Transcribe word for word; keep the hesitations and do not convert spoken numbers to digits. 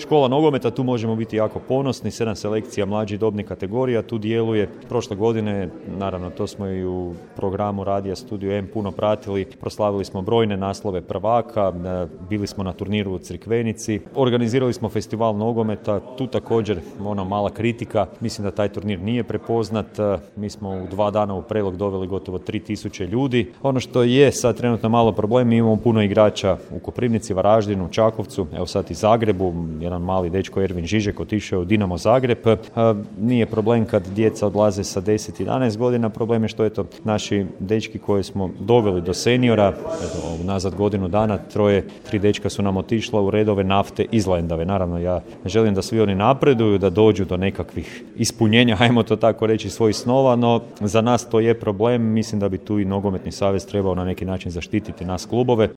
škola nogometa, tu možemo biti jako ponosni, sedam selekcija mlađih dobnih kategorija, tu djeluje. Prošle godine, naravno to smo i u programu Radija Studio M puno pratili, proslavili smo brojne naslove prvaka, bili smo na turniru u Crikvenici, organizirali smo festival nogometa, tu također ona mala kritika, mislim da taj turnir nije prepoznat, mi smo u dva dana u Prelog doveli gotovo tri tisuće ljudi. Ono što je sad trenutno malo problem, mi imamo puno igrača u Koprivnici, Varaždinu, Čakovcu, evo sad i Zagrebu, jedan mali dečko Ervin Žižek otišao u Dinamo Zagreb. Nije problem kad djeca odlaze sa deset jedanaest godina, problem je što eto naši dečki koje smo doveli do seniora, eto, nazad godinu dana, troje, tri dečka su nam otišla u redove Nafte iz Lendave. Naravno, ja želim da svi oni napreduju, da dođu do nekakvih ispunjenja, hajmo to tako reći, svojih snova, no za nas to je problem. Mislim da bi tu i Nogometni savez trebao na neki način zaštititi nas klubove.